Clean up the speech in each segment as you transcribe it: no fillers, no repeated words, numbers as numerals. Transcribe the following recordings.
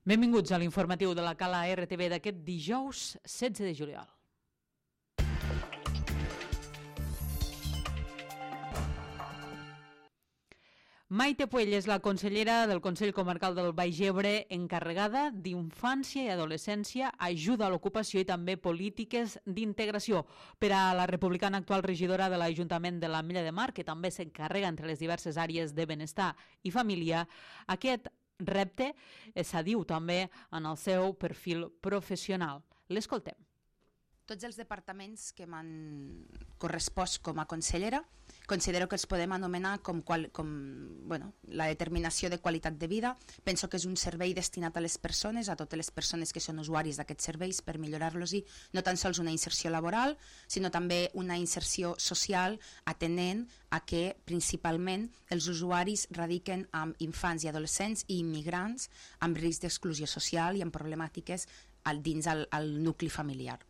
Benvinguts a l'informatiu de la Cala RTV d'aquest dijous 16 de juliol. Maite Puell és la consellera del Consell Comarcal del Baix Ebre encarregada d'infància i adolescència, ajuda a l'ocupació i també polítiques d'integració. Per a la republicana actual regidora de l'Ajuntament de l'Ametlla de Mar, que també s'encarrega entre les diverses àrees de benestar i família, aquest repte s'adiu també en el seu perfil professional. L'escoltem. Tots els departaments que m'han correspost com a consellera considero que els podem anomenar com la determinació de qualitat de vida. Penso que és un servei destinat a les persones, a totes les persones que són usuaris d'aquests serveis, per millorar-los i no tan sols una inserció laboral, sinó també una inserció social, atenent a que principalment els usuaris radiquen amb infants i adolescents i immigrants amb risc d'exclusió social i amb problemàtiques dins el nucli familiar.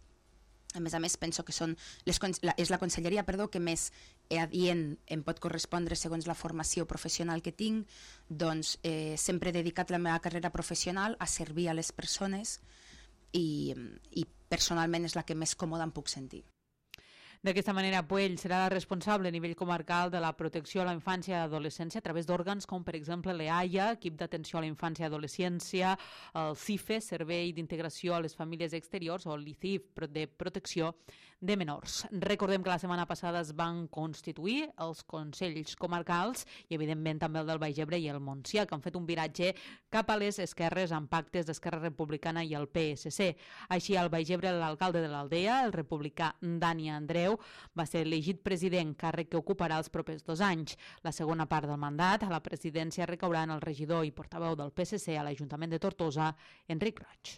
A més, penso que és la conselleria que més adient em pot correspondre segons la formació professional que tinc, doncs sempre he dedicat la meva carrera professional a servir a les persones i personalment és la que més còmoda em puc sentir. D'aquesta manera, Puell serà la responsable a nivell comarcal de la protecció a la infància i adolescència a través d'òrgans com, per exemple, l'EAIA, equip d'atenció a la infància i adolescència, el CIFE, Servei d'Integració a les Famílies Exteriors, o l'ICIF, de protecció de menors. Recordem que la setmana passada es van constituir els consells comarcals i, evidentment, també el del Baix Ebre i el Montsià, que han fet un viratge cap a les esquerres amb pactes d'Esquerra Republicana i el PSC. Així, al Baix Ebre, l'alcalde de l'Aldea, el republicà Dani Andreu, va ser elegit president, càrrec que ocuparà els propers 2 anys. La segona part del mandat a la presidència recaurà en el regidor i portaveu del PSC a l'Ajuntament de Tortosa, Enric Roig.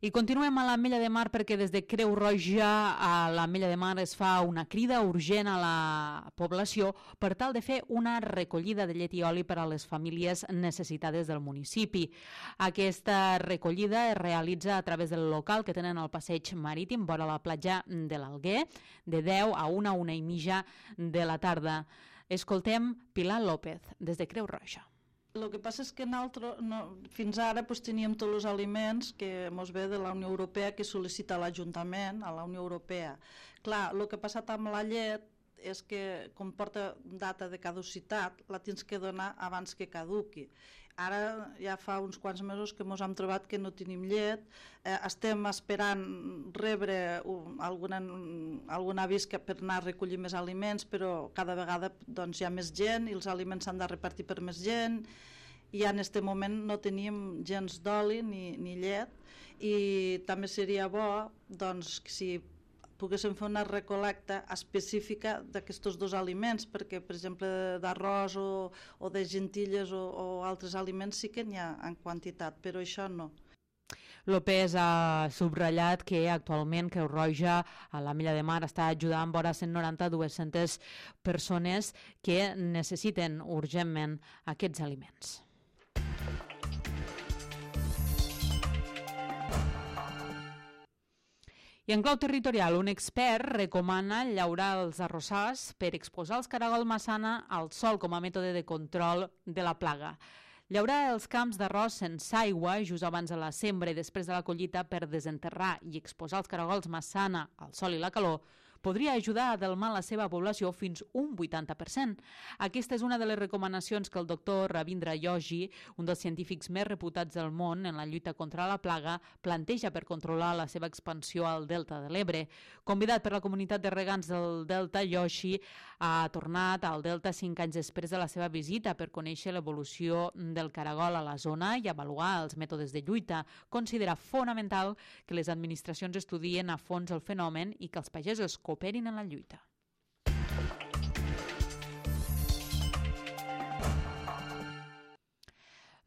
I continuem a l'Ametlla de Mar perquè des de Creu Roja a l'Ametlla de Mar es fa una crida urgent a la població per tal de fer una recollida de llet i oli per a les famílies necessitades del municipi. Aquesta recollida es realitza a través del local que tenen al passeig marítim vora la platja de l'Alguer de 10 a 1:30 de la tarda. Escoltem Pilar López des de Creu Roja. El que passa és que fins ara teníem tots els aliments que ens ve de la Unió Europea que sol·licita l'Ajuntament a la Unió Europea. Clar, el que ha passat amb la llet és que com porta data de caducitat la tens que donar abans que caduqui. Ara ja fa uns quants mesos que ens hem trobat que no tenim llet, estem esperant rebre algun avís per anar a recollir més aliments, però cada vegada hi ha més gent i els aliments s'han de repartir per més gent i en aquest moment no tenim gens d'oli ni llet i també seria bo que si poguéssim fer una recolecta específica d'aquests 2 aliments, perquè, per exemple, d'arròs o de gentilles o altres aliments sí que n'hi ha en quantitat, però això no. López ha subratllat que actualment Creu Roja a l'Ametlla de Mar està ajudant vora 190-200 persones que necessiten urgentment aquests aliments. I en clau territorial, un expert recomana llaurar els arrossars per exposar els caragol massana al sol com a mètode de control de la plaga. Llaurar els camps d'arròs sense aigua just abans de la sembra i després de la collita per desenterrar i exposar els caragols massana al sol i la calor podria ajudar a delmar la seva població fins un 80%. Aquesta és una de les recomanacions que el doctor Ravindra Yogi, un dels científics més reputats del món en la lluita contra la plaga, planteja per controlar la seva expansió al Delta de l'Ebre. Convidat per la comunitat de regants del Delta, Yogi ha tornat al Delta 5 anys després de la seva visita per conèixer l'evolució del caragol a la zona i avaluar els mètodes de lluita. Considera fonamental que les administracions estudien a fons el fenomen i que els pagesos cooperin en la lluita.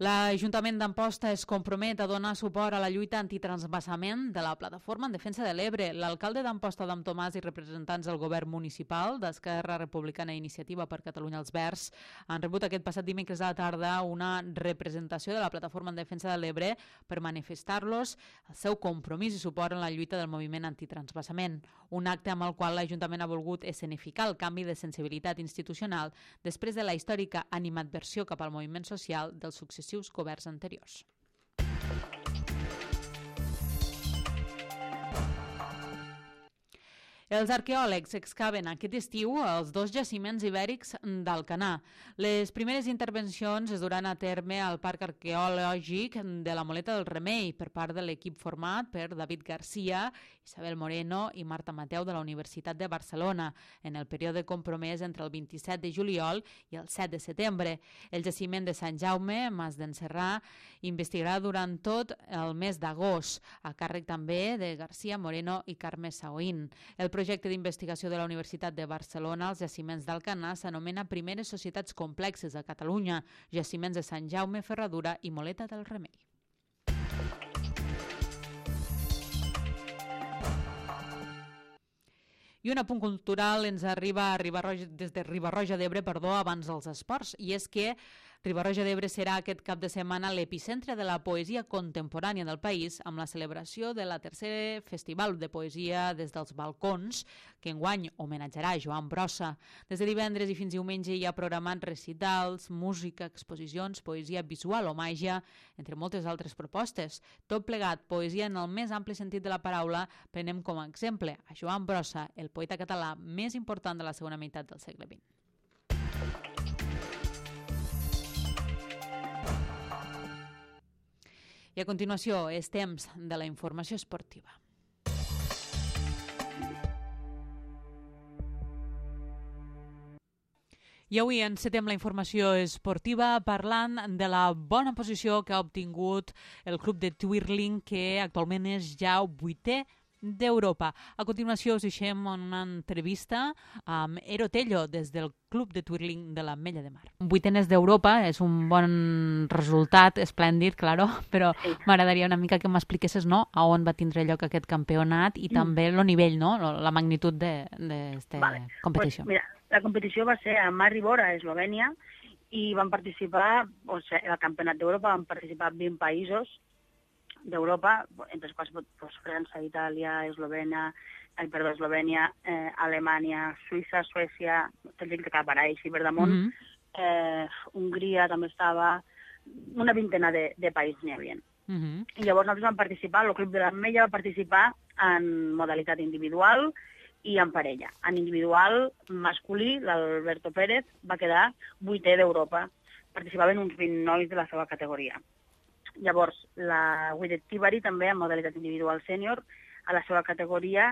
L'Ajuntament d'Amposta es compromet a donar suport a la lluita antitransvasament de la Plataforma en Defensa de l'Ebre. L'alcalde d'Amposta, Adam Tomàs, i representants del govern municipal d'Esquerra Republicana i Iniciativa per Catalunya als Verds han rebut aquest passat dimecres a la tarda una representació de la Plataforma en Defensa de l'Ebre per manifestar-los el seu compromís i suport en la lluita del moviment antitransvasament. Un acte amb el qual l'Ajuntament ha volgut escenificar el canvi de sensibilitat institucional després de la històrica animadversió cap al moviment social dels successius governs anteriors. Els arqueòlegs excaven aquest estiu els 2 jaciments ibèrics d'Alcanar. Les primeres intervencions es duran a terme al Parc Arqueològic de la Moleta del Remei per part de l'equip format per David Garcia, Isabel Moreno i Marta Mateu de la Universitat de Barcelona en el període compromès entre el 27 de juliol i el 7 de setembre. El jaciment de Sant Jaume, Mas d'Encerrà, investigarà durant tot el mes d'agost, a càrrec també de Garcia, Moreno i Carme Saoín. El projecte d'investigació de la Universitat de Barcelona als jaciments d'Alcanar s'anomena Primeres Societats Complexes a Catalunya, jaciments de Sant Jaume, Ferradura i Moleta del Remei. I un apunt cultural ens arriba des de Riba-roja d'Ebre, abans dels esports, i és que Riba-roja d'Ebre serà aquest cap de setmana l'epicentre de la poesia contemporània del país amb la celebració de la tercer Festival de Poesia des dels Balcons, que enguany homenatjarà Joan Brossa. Des de divendres i fins diumenge hi ha programats recitals, música, exposicions, poesia visual o màgia, entre moltes altres propostes. Tot plegat, poesia en el més ampli sentit de la paraula, prenem com a exemple a Joan Brossa, el poeta català més important de la segona meitat del segle XX. I a continuació és temps de la informació esportiva. I avui encetem la informació esportiva parlant de la bona posició que ha obtingut el club de twirling, que actualment és ja 8è d'Europa. A continuació us deixem una entrevista amb Ero Tello des del Club de Twirling de l'Ametlla de Mar. 8enes d'Europa és un bon resultat, esplèndid, claro, però sí, m'agradaria una mica que m'expliquessis, no, a on va tindre lloc aquest campionat i també el nivell, no, la magnitud d'aquesta competició. Pues mira, la competició va ser a Maribor, a Eslovènia, i van participar, o sigui, al Campionat d'Europa van participar 20 països d'Europa, entre els quals França, Itàlia, Eslovènia, Alemanya, Suïssa, Suècia, tindríem que acabar així per damunt, Hongria també estava, una vintena de països n'hi havia. I llavors nosaltres vam participar, el Club de l'Ametlla va participar en modalitat individual i en parella. En individual masculí, l'Alberto Pérez va quedar 8è d'Europa. Participaven uns 20 nois de la seva categoria. Llavors, la Guidet Tibari també, en modalitat individual sènior, a la seva categoria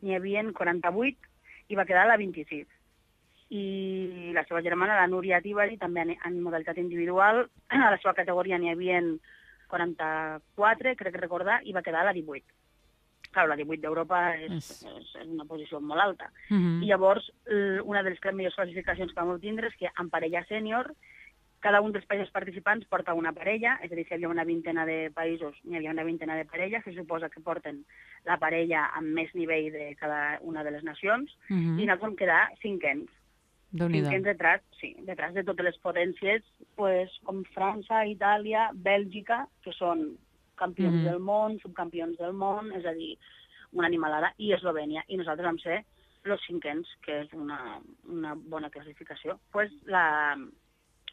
n'hi havia 48 i va quedar a la 26. I la seva germana, la Núria Tibari, també en modalitat individual, a la seva categoria n'hi havia 44, crec recordar, i va quedar a la 18. Clar, la 18 d'Europa és una posició molt alta. I llavors, una de les millors classificacions que vam obtindre és que en parella sènior, cada un dels països participants porta una parella, és a dir, si hi havia una vintena de països, n'hi havia una vintena de parelles, se suposa que porten la parella amb més nivell de cada una de les nacions, i nosaltres vam quedar 5ens. 5ens detrás de totes les potències, com França, Itàlia, Bèlgica, que són campions del món, subcampions del món, és a dir, una animalada, i Eslovènia. I nosaltres vam ser els 5ens, que és una bona classificació.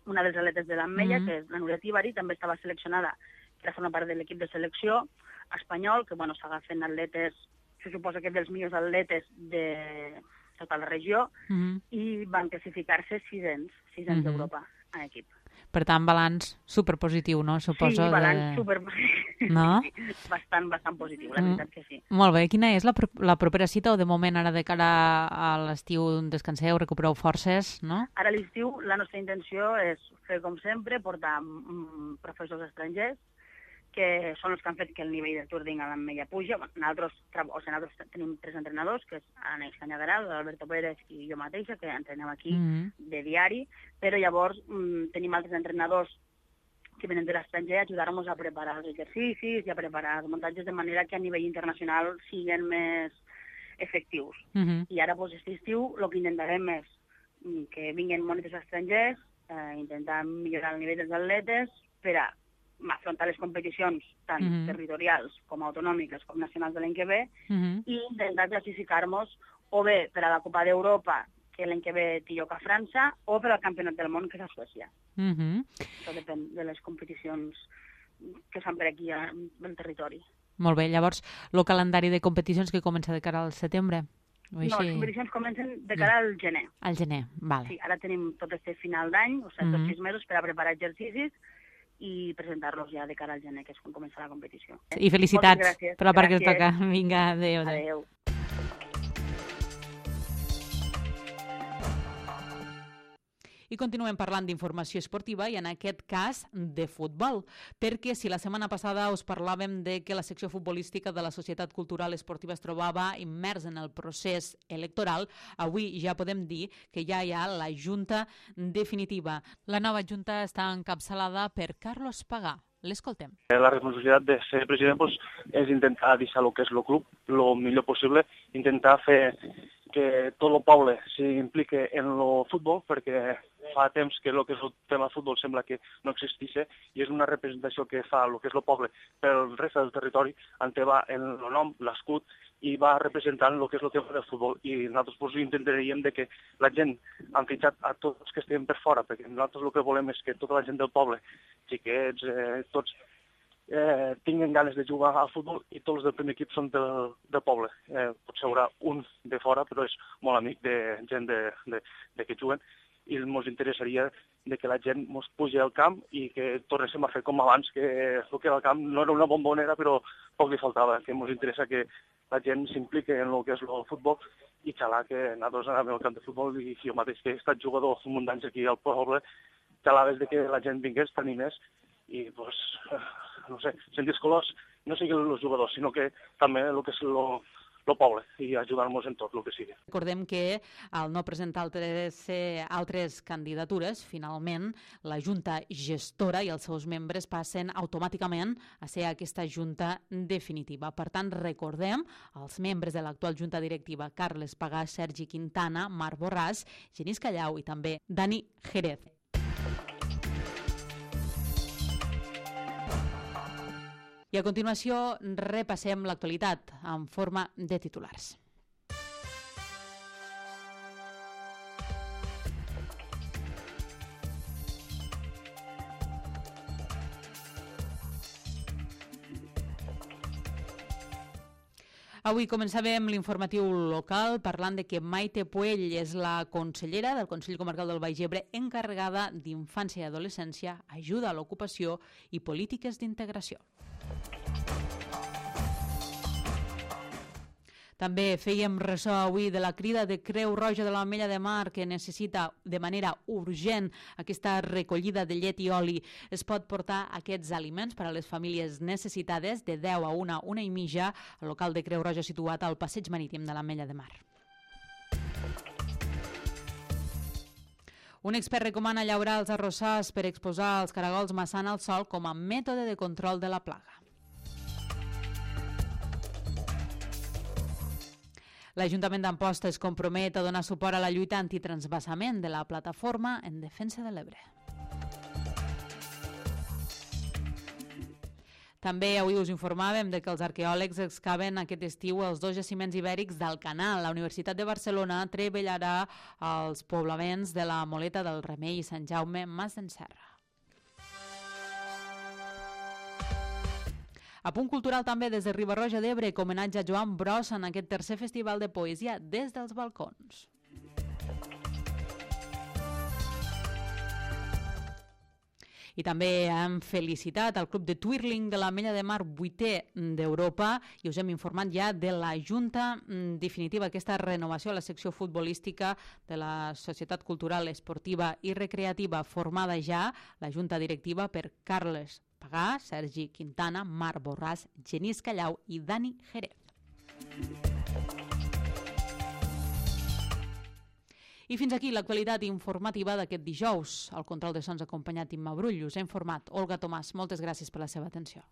Una dels atletes de l'Ametlla, que és la Núria Tibari, també estava seleccionada per formar part de l'equip de selecció espanyol, que s'agafen atletes, se suposa que dels millors atletes de tota la regió, i van classificar-se 6ens d'Europa en equip. Per tant, balanç superpositiu, no? Suposo. Sí, balanç superpositiu. No? Bastant positiu, la veritat que sí. Molt bé. Quina és la propera cita, o de moment ara de cara a l'estiu descanseu, recupereu forces, no? Ara a l'estiu la nostra intenció és fer com sempre, portar professors estrangers, que són els que han fet que el nivell de twirling a l'Ametlla puja. Nosaltres tenim 3 entrenadors, que és Aneix Cañagaral, l'Alberto Pérez i jo mateixa, que entrenem aquí de diari, però llavors tenim altres entrenadors que venen de l'estranger, ajudar-nos a preparar els exercicis i a preparar els muntatges de manera que a nivell internacional siguin més efectius. I ara, aquest estiu, el que intentarem és que vinguin monitors estrangers, intentar millorar el nivell dels atletes per a afrontar les competicions tant territorials com autonòmiques com nacionals de l'any que ve i intentar classificar-nos o bé per a la Copa d'Europa, que l'any que ve té lloc a França, o per al Campionat del Món, que és a Suècia. Això depèn de les competicions que es fan per aquí al territori. Molt bé, llavors, el calendari de competicions que comença de cara al setembre? No, les competicions comencen de cara al gener. Al gener, vale. Sí, ara tenim tot este final d'any, o sigui, 6 mesos per a preparar exercicis i presentar-los ja de cara al gener, que és quan comença la competició. I felicitats per la part que us toca. Vinga, adéu. Adéu. I continuem parlant d'informació esportiva i en aquest cas de futbol, perquè si la setmana passada us parlàvem de que la secció futbolística de la Societat Cultural Esportiva es trobava immersa en el procés electoral, avui ja podem dir que ja hi ha la junta definitiva. La nova junta està encapçalada per Carlos Pagà. L'escoltem. La responsabilitat de ser president és intentar deixar el que és el club el millor possible, intentar fer que tot el poble s'impliqui en el futbol, perquè fa temps que el que és el tema futbol sembla que no existeix i és una representació que fa el que és el poble pel resta del territori, on va el nom, l'escut, i va representant el que és el tema del futbol. I nosaltres intentaríem que la gent, han fitxat a tots els que estem per fora, perquè nosaltres el que volem és que tota la gent del poble, xiquets, tots, tinguin ganes de jugar al futbol i tots els del primer equip són del poble. Potser hi haurà un de fora, però és molt amic de gent de que juguen, i ens interessaria que la gent ens pugi al camp i que tornéssim a fer com abans, que el que era el camp no era una bombonera, però poc li faltava, que ens interessa que la gent s'impliqui en el que és el futbol i xalar que nosaltres anàvem al camp de futbol i jo mateix que he estat jugador un munt d'anys aquí al poble, xalaves que la gent vingués, t'animés i, no sé, sentir els colors, no siguin els jugadors, sinó que també el que és el poble i ajudar-nos en tot el que sigui. Recordem que al no presentar altres candidatures, finalment la Junta Gestora i els seus membres passen automàticament a ser aquesta Junta definitiva. Per tant, recordem els membres de l'actual Junta Directiva, Carles Pagà, Sergi Quintana, Marc Borràs, Genís Callau i també Dani Jerez. I a continuació repassem l'actualitat en forma de titulars. Avui començàvem l'informatiu local parlant de que Maite Puell és la consellera del Consell Comarcal del Baix Ebre encarregada d'infància i adolescència, ajuda a l'ocupació i polítiques d'integració. També fèiem ressò avui de la crida de Creu Roja de l'Ametlla de Mar que necessita de manera urgent aquesta recollida de llet i oli. Es pot portar aquests aliments per a les famílies necessitades de 10 a 1 i mitja al local de Creu Roja situat al passeig marítim de l'Ametlla de Mar. Un expert recomana llaurar els arrossars per exposar els caragols maçana al sol com a mètode de control de la plaga. L'Ajuntament d'Amposta es compromet a donar suport a la lluita antitransvasament de la Plataforma en Defensa de l'Ebre. També avui us informàvem de que els arqueòlegs excaven aquest estiu els 2 jaciments ibèrics del Canal. La Universitat de Barcelona treballarà als poblaments de la Moleta del Remei i Sant Jaume Mas d'en Serra. A punt cultural també des de Riba-roja d'Ebre, com homenatge a Joan Brossa en aquest tercer festival de poesia des dels balcons. I també hem felicitat el Club de Twirling de l'Ametlla de Mar, 8è d'Europa, i us hem informat ja de la Junta definitiva, aquesta renovació a la secció futbolística de la Societat Cultural Esportiva i Recreativa, formada ja la Junta Directiva per Carles Pagà, Sergi Quintana, Marc Borràs, Genís Callau i Dani Jerez. I fins aquí l'actualitat informativa d'aquest dijous. El control de sons acompanyat Imma Brull. Us ha informat Olga Tomàs. Moltes gràcies per la seva atenció.